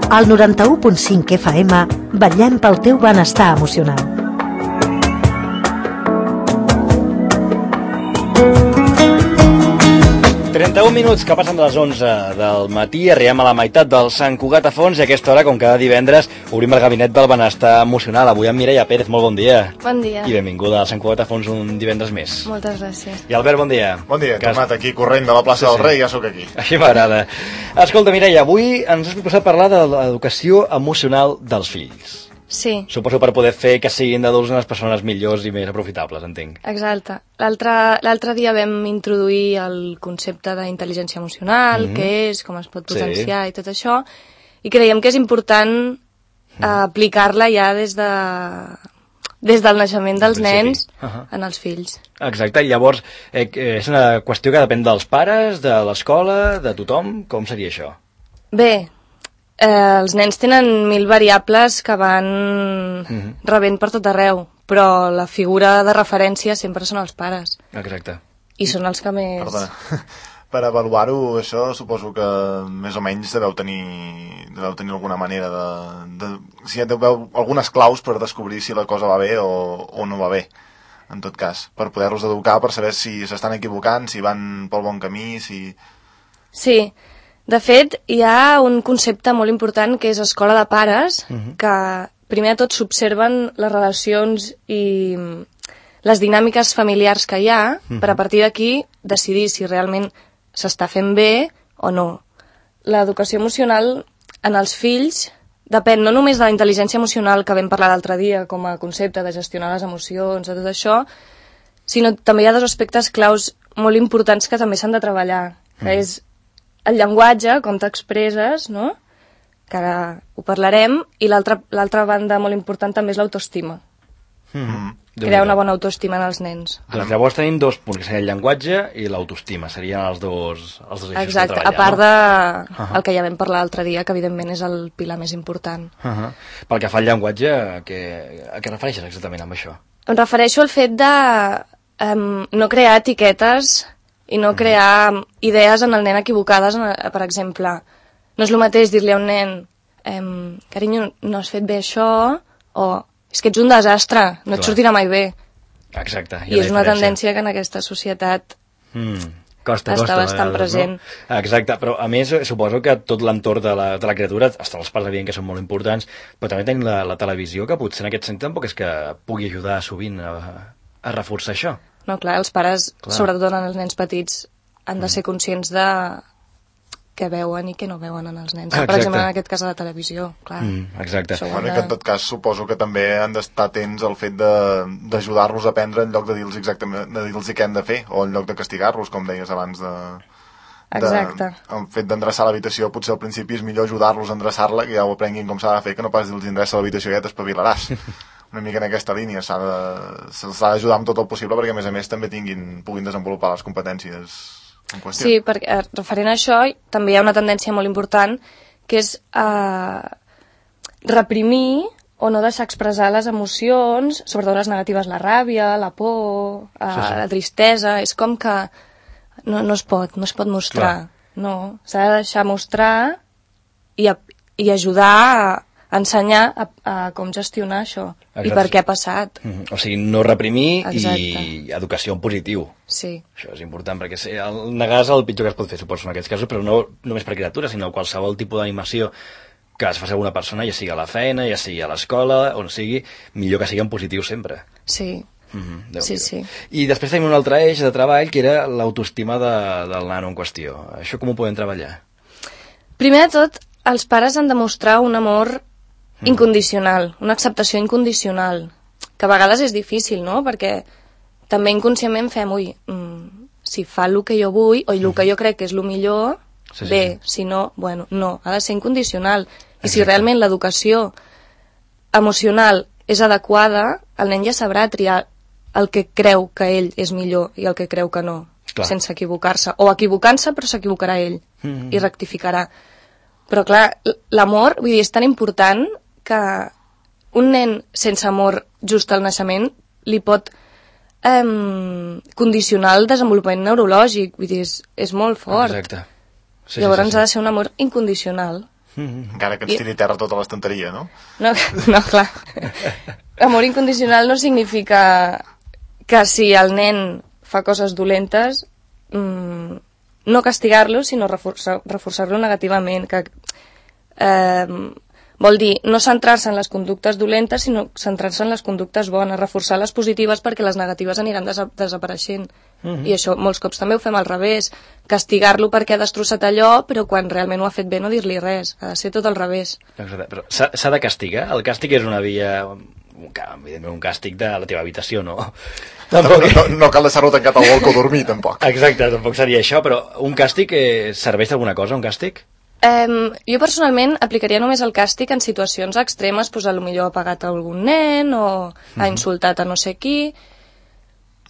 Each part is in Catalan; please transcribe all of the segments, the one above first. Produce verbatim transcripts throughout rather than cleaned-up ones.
Al noranta-u punt cinc F M vetllem pel teu benestar emocional. trenta-un minuts que passen de les onze del matí, arribem a la meitat del Sant Cugat a Fons i a aquesta hora, com cada divendres, obrim el gabinet del benestar emocional. Avui amb Mireia Pérez, molt bon dia. Bon dia. I benvinguda al Sant Cugat a Fons un divendres més. Moltes gràcies. I Albert, bon dia. Bon dia, he tornat aquí corrent de la plaça sí, del Rei, ja sóc aquí. Així m'agrada. Escolta, Mireia, avui ens has proposat parlar de l'educació emocional dels fills. Sí. Suposo per poder fer que siguin d'adults unes persones millors i més aprofitables, entenc. Exacte. L'altre dia vam introduir el concepte d'intel·ligència emocional, mm-hmm. què és, com es pot potenciar sí. i tot això, i creiem que és important mm. aplicar-la ja des de des del naixement dels nens uh-huh. en els fills. Exacte, i llavors eh, és una qüestió que depèn dels pares, de l'escola, de tothom, com seria això? Bé, Eh, els nens tenen mil variables que van mm-hmm. rebent per tot arreu, però la figura de referència sempre són els pares. Exacte. I són els que més... Perdona. Per avaluar-ho, això suposo que més o menys deveu tenir, deveu tenir alguna manera de... de si deveu algunes claus per descobrir si la cosa va bé o, o no va bé, en tot cas, per poder-los educar, per saber si s'estan equivocant, si van pel bon camí, si... Sí. De fet, hi ha un concepte molt important que és escola de pares, uh-huh. que primer de tot s'observen les relacions i les dinàmiques familiars que hi ha, uh-huh. per a partir d'aquí decidir si realment s'està fent bé o no. L'educació emocional en els fills depèn no només de la intel·ligència emocional que vam parlar l'altre dia com a concepte de gestionar les emocions, de tot això, sinó també hi ha dos aspectes claus molt importants que també s'han de treballar, que uh-huh. és el llenguatge, com t'expresses, no? Que ara ho parlarem, i l'altra banda molt important també és l'autoestima. Mm-hmm. Crear una bona autoestima en els nens. Doncs llavors tenim dos punts, que seria el llenguatge i l'autoestima, serien els dos, els dos eixos Exacte, de treballar. A part no? de uh-huh. el que ja vam parlar l'altre dia, que evidentment és el pilar més important. Uh-huh. Pel que fa al llenguatge, a què, a què refereixes exactament amb això? Em refereixo al fet de um, no crear etiquetes i no crear idees en el nen equivocades, per exemple. No és el mateix dir-li a un nen ehm, carinyo, no has fet bé això, o és que ets un desastre, no Clar. Et sortirà mai bé. Exacte. I és una tendència que en aquesta societat mm, costa, està costa, bastant vegades, present. No? Exacte, però a més suposo que tot l'entorn de, la, de la criatura, hasta els pares evident que són molt importants, però també tenim la, la televisió, que potser en aquest sentit tampoc és que pugui ajudar sovint a, a reforçar això. No, clar, els pares, clar. sobretot en els nens petits, han de ser conscients de què veuen i què no veuen en els nens. Exacte. Per exemple, en aquest cas de la televisió, clar. Mm, exacte. Bueno, de... que en tot cas suposo que també han d'estar atents al fet d'ajudar-los a aprendre en lloc de dir-los exactament de dir-los què han de fer, o en lloc de castigar-los, com deies abans de... Exacte. De, el fet d'endreçar l'habitació, potser al principi és millor ajudar-los a endreçar-la, que ja ho aprenguin com s'ha de fer, que no pas dir-los endreça l'habitació i ja t'espavilaràs. Una mica en aquesta línia, s'ha d'ajudar amb tot el possible perquè a més a més també tinguin, puguin desenvolupar les competències en qüestió. Sí, perquè referent a això també hi ha una tendència molt important que és eh, reprimir o no deixar expressar les emocions, sobretot les negatives, la ràbia, la por, eh, sí, sí. la tristesa, és com que no, no es pot, no es pot mostrar. Clar. No, s'ha de deixar mostrar i, i ajudar a ensenyar a, a com gestionar això. Exacte. I per què ha passat. Mm-hmm. O sigui, no reprimir. Exacte. I educació en positiu. Sí. Això és important, perquè el negar és el pitjor que es pot fer, suposo, en aquests casos, però no només per criatures, sinó qualsevol tipus d'animació que es faci alguna persona, ja sigui a la feina, ja sigui a l'escola, on sigui, millor que sigui en positiu sempre. Sí. Mm-hmm. Sí, sí. I després tenim un altre eix de treball, que era l'autoestima de, del nano en qüestió. Això com ho podem treballar? Primer de tot, els pares han de mostrar un amor incondicional, una acceptació incondicional, que a vegades és difícil, no? Perquè també inconscientment fem, ui, mm, si fa el que jo vull, o el que jo crec que és el millor, sí, sí, bé, sí. Si no, bueno, no, ha de ser incondicional. I Exacte. Si realment l'educació emocional és adequada, el nen ja sabrà triar el que creu que ell és millor i el que creu que no, clar. Sense equivocar-se. O equivocant-se, però s'equivocarà ell mm-hmm. i rectificarà. Però clar, l'amor, vull dir, és tan important que un nen sense amor just al naixement li pot eh, condicionar el desenvolupament neurològic, vull dir, és, és molt fort. Exacte. Sí, Llavors sí, sí, sí. ha de ser un amor incondicional. Mm-hmm. Encara que ens tiri terra tota l'estanteria, no? No, no, clar. Amor incondicional no significa que si el nen fa coses dolentes, mmm, no castigar-lo, sinó reforçar, reforçar-lo negativament, que eh, vol dir no centrar-se en les conductes dolentes, sinó centrar-se en les conductes bones, reforçar les positives perquè les negatives aniran des desapareixent. Mm-hmm. I això molts cops també ho fem al revés, castigar-lo perquè ha destrossat allò, però quan realment ho ha fet bé no dir-li res, ha de ser tot al revés. Però s'ha de castigar? El càstig és una via, evidentment un càstig de la teva habitació, no? No, no, no, no cal deixar-lo tancat al balcó a dormir, tampoc. Exacte, tampoc seria això, però un càstig eh, serveix d'alguna cosa, un càstig? Um, jo personalment aplicaria només el càstig en situacions extremes, doncs potser ha pagat a algun nen o mm-hmm. ha insultat a no sé qui,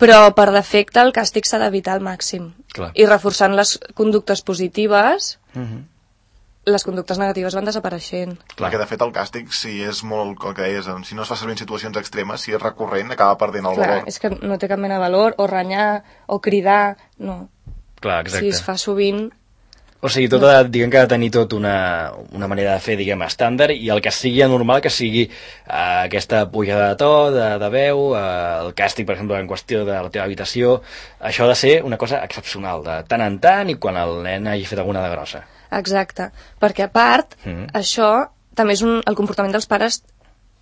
però per defecte el càstig s'ha d'evitar al màxim. Clar. I reforçant les conductes positives, mm-hmm. les conductes negatives van desapareixent. Clar, que de fet el càstig, si és molt, el que deies, si no es fa servir en situacions extremes, si és recurrent, acaba perdent el Clar, valor. És que no té cap mena de valor, o renyar, o cridar, no. Clar, exacte. Si es fa sovint... O sigui, tot ha, diguem que ha de tenir tot una, una manera de fer, diguem, estàndard, i el que sigui anormal que sigui uh, aquesta pujada de to, de, de veu, uh, el càstig, per exemple, en qüestió de la teva habitació, això ha de ser una cosa excepcional, de tant en tant i quan el nen hagi fet alguna de grossa. Exacte, perquè a part, mm-hmm. això també és un, el comportament dels pares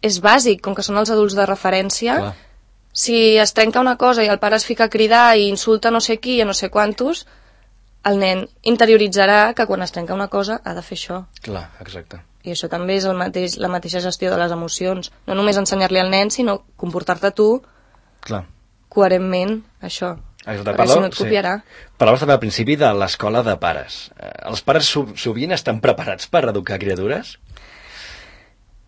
és bàsic, com que són els adults de referència. Clar. Si es trenca una cosa i el pare es fica a cridar i insulta no sé qui i no sé quantos, el nen interioritzarà que quan es trenca una cosa ha de fer això. Clar, exacte. I això també és el mateix, la mateixa gestió de les emocions. No només ensenyar-li al nen, sinó comportar-te tu Clar. coherentment, això. Exacte. Perquè si no et copiarà. Sí. Parlaves també al principi de l'escola de pares. Eh, els pares sovint estan preparats per educar criatures?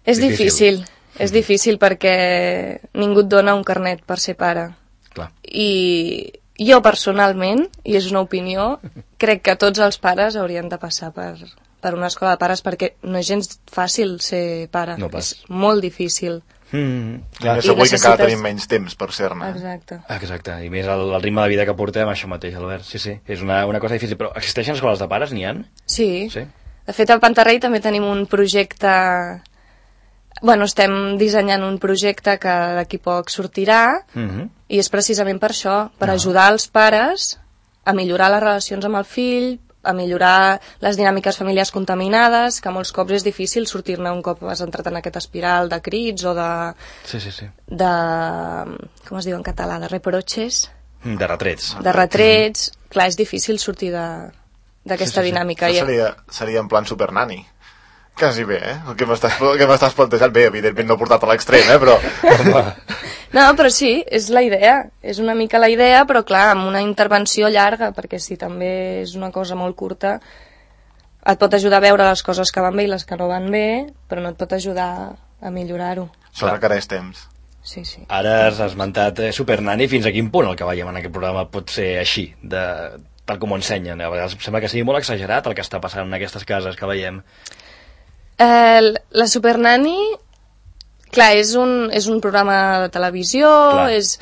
És difícil. difícil. Mm-hmm. És difícil perquè ningú et dona un carnet per ser pare. Clar. I... Jo, personalment, i és una opinió, crec que tots els pares haurien de passar per, per una escola de pares perquè no és gens fàcil ser pare. No és molt difícil. Mm, clar, I segur necessites... que encara tenim menys temps per ser-ne. Exacte. Exacte, i més el, el ritme de vida que portem, això mateix, Albert. Sí, sí, és una, una cosa difícil. Però existeixen escoles de pares, n'hi ha? Sí. sí. De fet, al Pantarrei també tenim un projecte... Bueno, estem dissenyant un projecte que d'aquí poc sortirà mm-hmm. i és precisament per això, per no. ajudar els pares a millorar les relacions amb el fill, a millorar les dinàmiques familiars contaminades, que molts cops és difícil sortir-ne un cop has entrat en aquest espiral de crits o de... Sí, sí, sí. De... com es diu en català? De reproches? De retrets. De retrets. Mm-hmm. Clar, és difícil sortir d'aquesta sí, sí, sí. dinàmica. Això seria, seria en plan supernani. Quasi bé, eh? El que m'estàs plantejant, bé, evidentment no portat a l'extrem, eh? Però... no, però sí, és la idea. És una mica la idea, però clar, amb una intervenció llarga, perquè si també és una cosa molt curta, et pot ajudar a veure les coses que van bé i les que no van bé, però no et pot ajudar a millorar-ho. Això requereix temps. Sí, sí. Ara has esmentat eh, Supernani, fins a quin punt el que veiem en aquest programa pot ser així, de, tal com ho ensenyen. A vegades sembla que sigui molt exagerat el que està passant en aquestes cases que veiem. Eh, la Supernani, clar, és un, és un programa de televisió, és,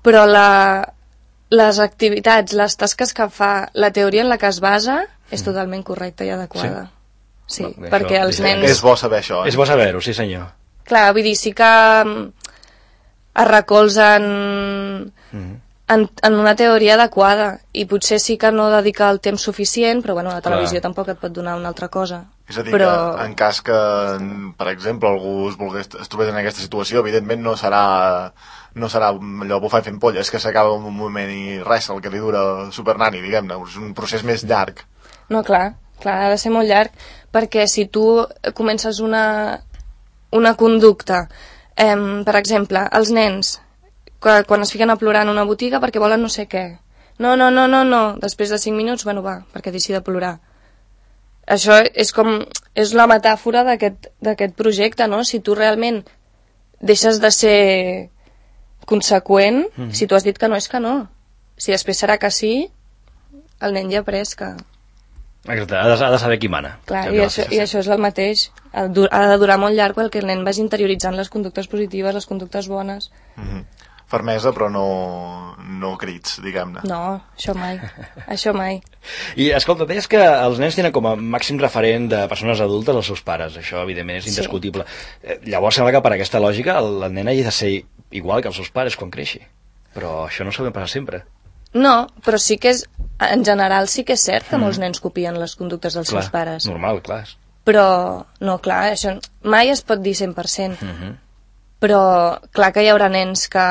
però la, les activitats, les tasques que fa, la teoria en la que es basa, és mm. totalment correcta i adequada. Sí, sí no, perquè els és, nens... És bo saber això, eh? És bo saber-ho, sí senyor. Clar, vull dir, sí que es recolzen mm. en, en una teoria adequada i potser sí que no dedica el temps suficient, però bueno, la televisió Clar. tampoc et pot donar una altra cosa. És a dir, però... que en cas que, per exemple, algú es, volgués, es trobés en aquesta situació, evidentment no serà, no serà allò bufant fent polles, que s'acaba en un moment i res, el que li dura Supernani, diguem-ne, és un procés més llarg. No, clar, clar, ha de ser molt llarg, perquè si tu comences una, una conducta, eh, per exemple, els nens, quan es fiquen a plorar en una botiga perquè volen no sé què, no, no, no, no, no, després de cinc minuts, bueno, va, perquè deixi de plorar. Això és com, és la metàfora d'aquest d'aquest projecte, no? Si tu realment deixes de ser conseqüent, mm. si tu has dit que no és que no. Si després serà que sí, el nen ja ha après que... Exacte, ha de, ha de saber qui mana. Clar, i, això, i això és el mateix. Ha de durar molt llarg perquè el nen vagi interioritzant les conductes positives, les conductes bones. Mm-hmm. fermesa però no, no crits, diguem-ne. No, això mai, això mai. I escolta, deies que els nens tenen com a màxim referent de persones adultes els seus pares, això evidentment és indiscutible. Sí. Llavors sembla que per aquesta lògica el, el nen hagi de ser igual que els seus pares quan creixi, però això no s'ha de passar sempre. No, però sí que és, en general sí que és cert que mm. molts nens copien les conductes dels clar, seus pares. Normal, clar. Però, no, clar, això mai es pot dir cent per cent. Mm -hmm. Però clar que hi haurà nens que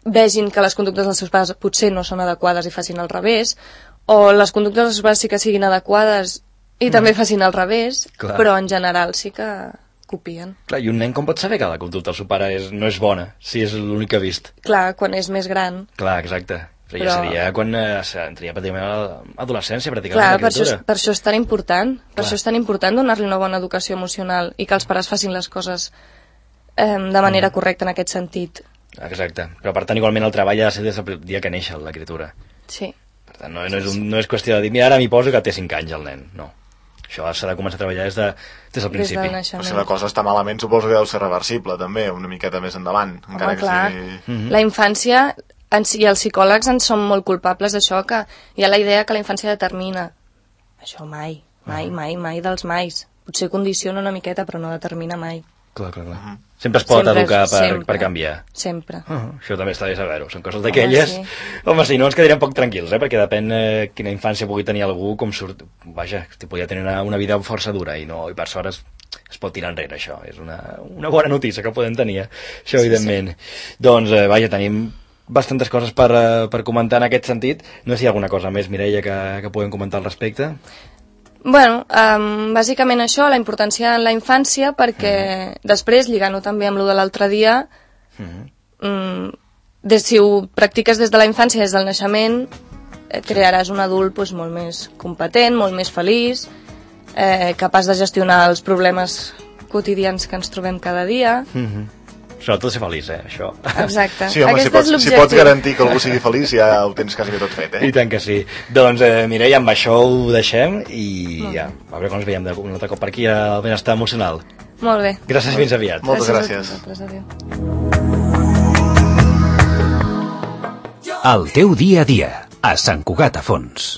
vegin que les conductes dels seus pares potser no són adequades i facin al revés, o les conductes dels seus pares sí que siguin adequades i mm. també facin al revés, clar. Però en general sí que copien. Clar, i un nen com pot saber que la conducta del seu pare és, no és bona, si és l'únic que ha vist? Clar, quan és més gran. Clar, exacte. Però ja seria quan eh, entraria pràcticament a l'adolescència, pràcticament. Clar, per això, per això és tan important, per clar. això és tan important donar-li una bona educació emocional i que els pares facin les coses eh, de manera mm. correcta en aquest sentit. Exacte, però per tant igualment el treball ha de ser des del dia que neix l'escriptura. Sí. Per tant, no, no, és un, no és qüestió de dir, mira, ara m'hi poso que té cinc anys el nen, no. Això s'ha de començar a treballar des, de, des del principi. Des del naixement. Si la cosa està malament suposo que deu ser reversible també, una miqueta més endavant. Home, encara que clar, Mhm. sigui... mm-hmm. La infància, i els psicòlegs en són molt culpables d'això, que hi ha la idea que la infància determina. Això mai, mai, uh-huh. mai, mai dels mais. Potser condiciona una miqueta, però no determina mai. Clar, clar, clar. Uh-huh. Sempre es pot sempre, educar per, sempre, per canviar. Sempre. Uh-huh. Això també està bé saber-ho. Són coses d'aquelles... Home, sí. Home, si no ens quedaríem poc tranquils, eh? Perquè depèn eh, quina infància pugui tenir algú, com surt... Vaja, podria tenir una, una vida força dura i, no, i per sort es, es pot tirar enrere, això. És una, una bona notícia que podem tenir, això, evidentment. Sí, sí. Doncs, eh, vaja, tenim bastantes coses per, uh, per comentar en aquest sentit. No sé si hi ha alguna cosa més, Mireia, que, que podem comentar al respecte. Bueno, um, bàsicament això, la importància en la infància, perquè mm. després, lligant-ho també amb lo de l'altre dia, mm. um, des, si ho practiques des de la infància, des del naixement, eh, crearàs un adult pues, molt més competent, molt més feliç, eh, capaç de gestionar els problemes quotidians que ens trobem cada dia. Mm-hmm. Sobretot ser feliç, eh, això. Exacte. Sí, home, si pots, si pots garantir que algú sigui feliç ja ho tens quasi tot fet, eh? I tant que sí. Doncs, eh, Mireia, amb això ho deixem i ja, a veure quan ens veiem un altre cop per aquí al Benestar Emocional. Molt bé. Gràcies, fins aviat. Moltes gràcies. gràcies. Adéu. El teu dia a dia, a Sant Cugat a Fons.